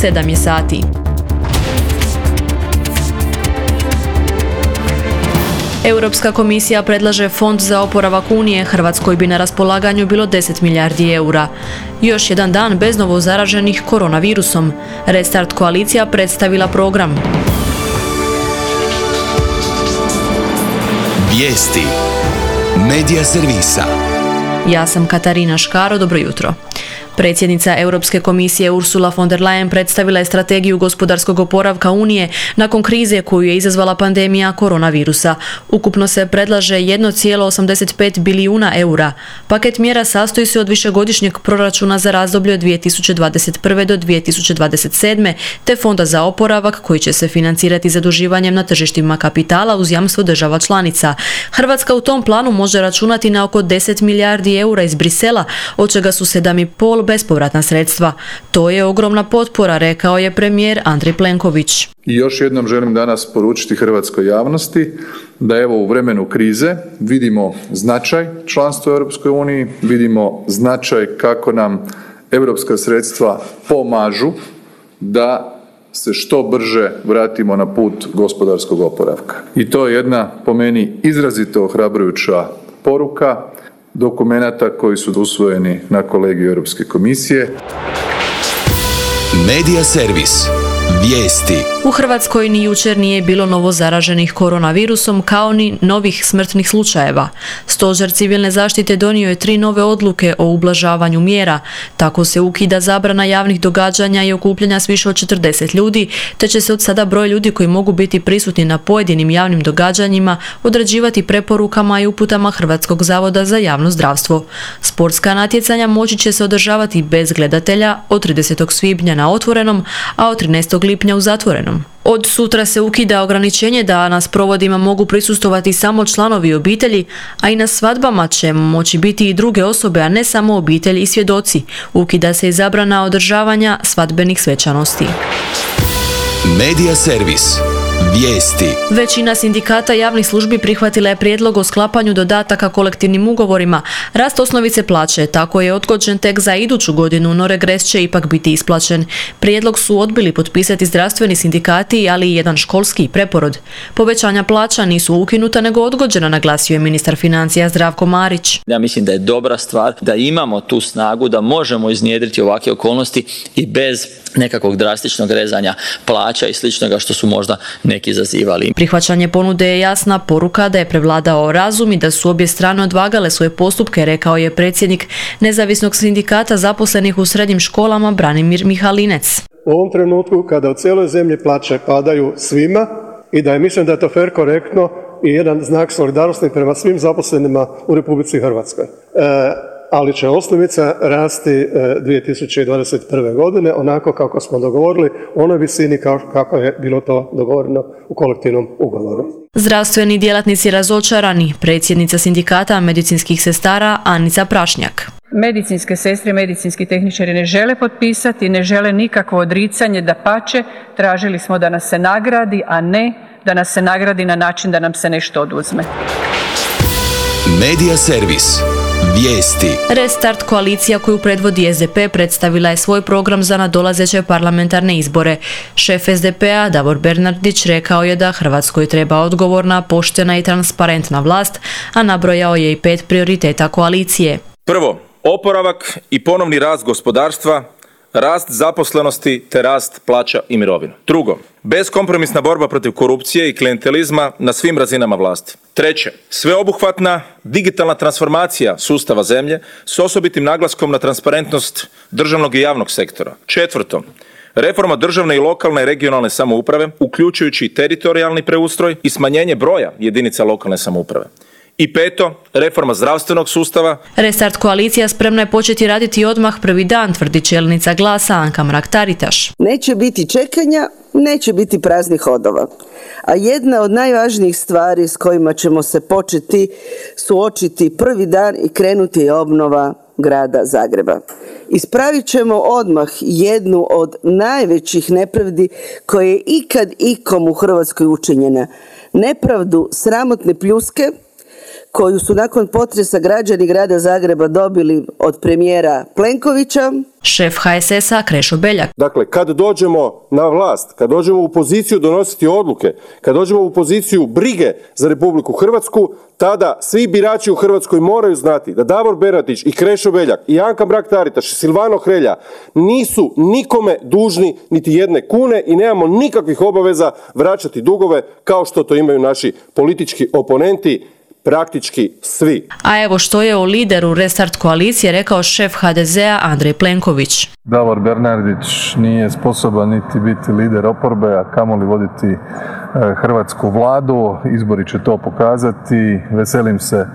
7 je sati. Europska komisija predlaže fond za oporavak Unije. Hrvatskoj bi na raspolaganju bilo 10 milijardi eura. Još jedan dan bez novozaraženih koronavirusom. Restart koalicija predstavila program. Vijesti. Medija servisa. Ja sam Katarina Škaro, dobro jutro. Predsjednica Europske komisije Ursula von der Leyen predstavila je strategiju gospodarskog oporavka Unije nakon krize koju je izazvala pandemija koronavirusa. Ukupno se predlaže 1,85 bilijuna eura. Paket mjera sastoji se od višegodišnjeg proračuna za razdoblje od 2021. do 2027. te fonda za oporavak koji će se financirati zaduživanjem na tržištima kapitala uz jamstvo država članica. Hrvatska u tom planu može računati na oko 10 milijardi eura iz Brisela, od čega su 7,5 bespovratna sredstva. To je ogromna potpora, rekao je premijer Andrej Plenković. I još jednom želim danas poručiti hrvatskoj javnosti da evo u vremenu krize vidimo značaj članstva u Europskoj uniji, vidimo značaj kako nam europska sredstva pomažu da se što brže vratimo na put gospodarskog oporavka. I to je jedna, po meni, izrazito ohrabrujuća poruka dokumenata koji su usvojeni na kolegiju Europske komisije. Medija servis. Vijesti. U Hrvatskoj ni jučer nije bilo novozaraženih koronavirusom kao ni novih smrtnih slučajeva. Stožer civilne zaštite donio je 3 nove odluke o ublažavanju mjera. Tako se ukida zabrana javnih događanja i okupljanja s više od 40 ljudi, te će se od sada broj ljudi koji mogu biti prisutni na pojedinim javnim događanjima određivati preporukama i uputama Hrvatskog zavoda za javno zdravstvo. Sportska natjecanja moći će se održavati bez gledatelja od 30. svibnja na otvorenom, a od 13. lipnja u zatvorenom. Od sutra se ukida ograničenje da na sprovodima mogu prisustvovati samo članovi obitelji, a i na svadbama će moći biti i druge osobe, a ne samo obitelji i svjedoci. Ukida se i zabrana održavanja svadbenih svečanosti. Medija servis. Vijesti. Većina sindikata javnih službi prihvatila je prijedlog o sklapanju dodataka kolektivnim ugovorima. Rast osnovice plaće tako je odgođen tek za iduću godinu, no regres će ipak biti isplaćen. Prijedlog su odbili potpisati zdravstveni sindikati, ali i jedan školski preporod. Povećanja plaća nisu ukinuta nego odgođena, naglasio je ministar financija Zdravko Marić. Ja mislim da je dobra stvar da imamo tu snagu da možemo iznjedriti ovakve okolnosti i bez nekakvog drastičnog rezanja plaća i sličnoga što su možda neki izazivali. Prihvaćanje ponude je jasna poruka da je prevladao razum i da su obje strane odvagale svoje postupke, rekao je predsjednik Nezavisnog sindikata zaposlenih u srednjim školama Branimir Mihalinec. U ovom trenutku kada u cijeloj zemlji plaće padaju svima i da je, mislim da je to fer, korektno i jedan znak solidarnosti prema svim zaposlenima u Republici Hrvatskoj. Ali će osnovica rasti 2021. godine onako kako smo dogovorili, u onoj visini kako je bilo to dogovoreno u kolektivnom ugovoru. Zdravstveni djelatnici razočarani, predsjednica sindikata medicinskih sestara Anica Prašnjak. Medicinske sestre i medicinski tehničari ne žele potpisati, ne žele nikakvo odricanje, dapače, tražili smo da nas se nagradi, a ne da nas se nagradi na način da nam se nešto oduzme. Medija servis. Vijesti. Restart koalicija koju predvodi SDP predstavila je svoj program za nadolazeće parlamentarne izbore. Šef SDP-a Davor Bernardić rekao je da Hrvatskoj treba odgovorna, poštena i transparentna vlast, a nabrojao je i 5 prioriteta koalicije. Prvo, oporavak i ponovni rast gospodarstva, rast zaposlenosti te rast plaća i mirovina. Drugo, beskompromisna borba protiv korupcije i klijentelizma na svim razinama vlasti. Treće, sveobuhvatna digitalna transformacija sustava zemlje s osobitim naglaskom na transparentnost državnog i javnog sektora. Četvrto, reforma državne i lokalne i regionalne samouprave, uključujući teritorijalni preustroj i smanjenje broja jedinica lokalne samouprave. I peto, reforma zdravstvenog sustava. Restart koalicija spremna je početi raditi odmah prvi dan, tvrdi čelnica Glasa Anka Mrak-Taritaš. Neće biti čekanja, neće biti praznih hodova. A jedna od najvažnijih stvari s kojima ćemo se početi suočiti prvi dan i krenuti je obnova grada Zagreba. Ispravit ćemo odmah jednu od najvećih nepravdi koje je ikad ikom u Hrvatskoj učinjena. Nepravdu sramotne pljuske koju su nakon potresa građani grada Zagreba dobili od premijera Plenkovića, Šef HSS-a Krešo Beljak. Dakle, kad dođemo na vlast, kad dođemo u poziciju donositi odluke, kad dođemo u poziciju brige za Republiku Hrvatsku, tada svi birači u Hrvatskoj moraju znati da Davor Bernardić i Krešo Beljak i Anka Mrak-Taritaš i Silvano Hrelja nisu nikome dužni niti jedne kune i nemamo nikakvih obaveza vraćati dugove kao što to imaju naši politički oponenti, praktički svi. A evo što je o lideru Restart koalicije rekao šef HDZ-a Andrej Plenković. Davor Bernardić nije sposoban niti biti lider oporbe, a kamoli voditi hrvatsku vladu. Izbori će to pokazati. Veselim se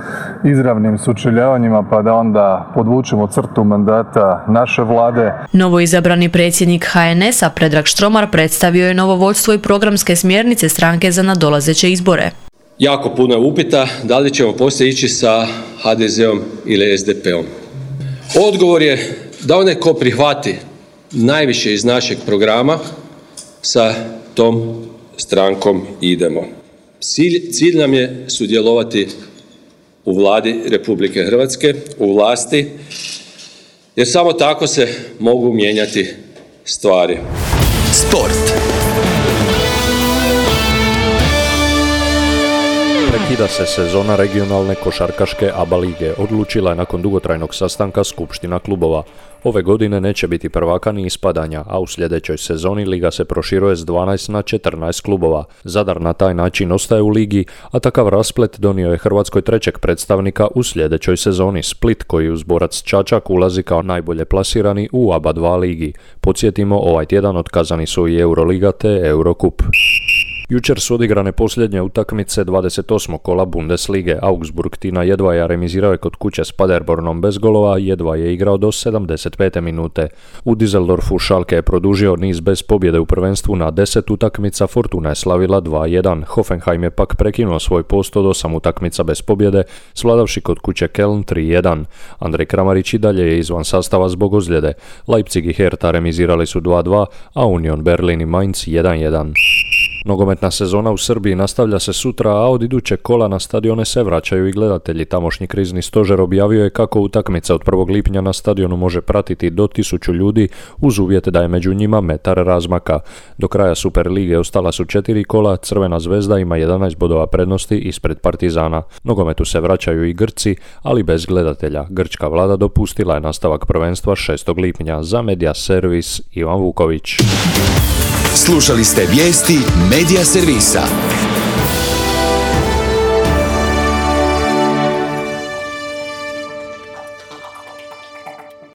izravnim sučeljavanjima pa da onda podvučemo crtu mandata naše vlade. Novoizabrani predsjednik HNS-a Predrag Štromar predstavio je novo vodstvo i programske smjernice stranke za nadolazeće izbore. Jako puno je upita da li ćemo poslije ići sa HDZ-om ili SDP-om. Odgovor je da onaj ko prihvati najviše iz našeg programa, sa tom strankom idemo. Cilj nam je sudjelovati u Vladi Republike Hrvatske, u vlasti, jer samo tako se mogu mijenjati stvari. Sport. Prekida se sezona regionalne košarkaške ABA lige. Odlučila je nakon dugotrajnog sastanka skupština klubova. Ove godine neće biti prvaka ni ispadanja, a u sljedećoj sezoni liga se proširuje s 12 na 14 klubova. Zadar na taj način ostaje u ligi, a takav rasplet donio je Hrvatskoj trećeg predstavnika u sljedećoj sezoni, Split, koji uz Borac Čačak ulazi kao najbolje plasirani u ABA 2 ligi. Podsjetimo, ovaj tjedan otkazani su i Euroliga te Eurocup. Jučer su odigrane posljednje utakmice 28. kola Bundeslige. Augsburg Tina Jedvaja remizirao je kod kuće s Paderbornom bez golova, Jedva je igrao do 75. minute. U Düsseldorfu Schalke je produžio niz bez pobjede u prvenstvu na 10 utakmica, Fortuna je slavila 2-1. Hoffenheim je pak prekinuo svoj post od 8 utakmica bez pobjede, svladavši kod kuće Köln 3-1. Andrej Kramarić i dalje je izvan sastava zbog ozljede. Leipzig i Hertha remizirali su 2-2, a Union Berlin i Mainz 1-1. Nogometna sezona u Srbiji nastavlja se sutra, a od idućeg kola na stadione se vraćaju i gledatelji. Tamošnji krizni stožer objavio je kako utakmica od 1. lipnja na stadionu može pratiti do 1000 ljudi uz uvjet da je među njima metar razmaka. Do kraja Super lige ostala su 4 kola, Crvena zvezda ima 11 bodova prednosti ispred Partizana. Nogometu se vraćaju i Grci, ali bez gledatelja. Grčka vlada dopustila je nastavak prvenstva 6. lipnja. Za Media Servis Ivan Vuković. Slušali ste vijesti Media Servisa.